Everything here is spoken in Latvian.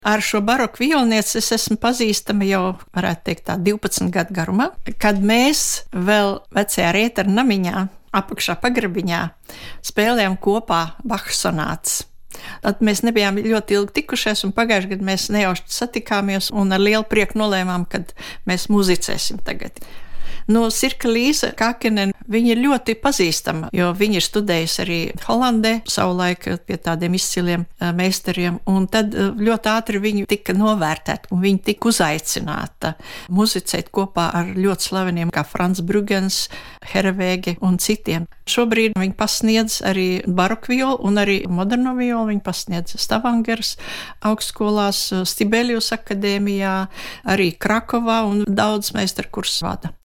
Ar šo baroku violnieci es esmu pazīstama jau, varētu teikt, tā 12 gadu garumā, kad mēs vēl vecajā Rieteru namiņā, apakšā pagrabiņā, spēlējām kopā Bacha sonātas. Tad mēs nebijām ļoti ilgi tikušies, un pagājušajā gadā mēs nejauši satikāmies un ar lielu prieku nolēmām, kad mēs muzicēsim tagad. Sirka Līza Kākinen, viņa ir ļoti pazīstama, jo viņa ir studējusi arī Holandē, savulaik pie tādiem izciliem meistariem, un tad ļoti ātri viņa tika novērtēta, un viņa tika uzaicināta muzicēt kopā ar ļoti slaveniem kā Frans Brugens, Hervēge un citiem. Šobrīd viņa pasniedz arī baroku violu un arī moderno violu, viņa pasniedz Stavangeras augstskolās, Stibelius akadēmijā, arī Krakovā un daudz meistarkursus vada.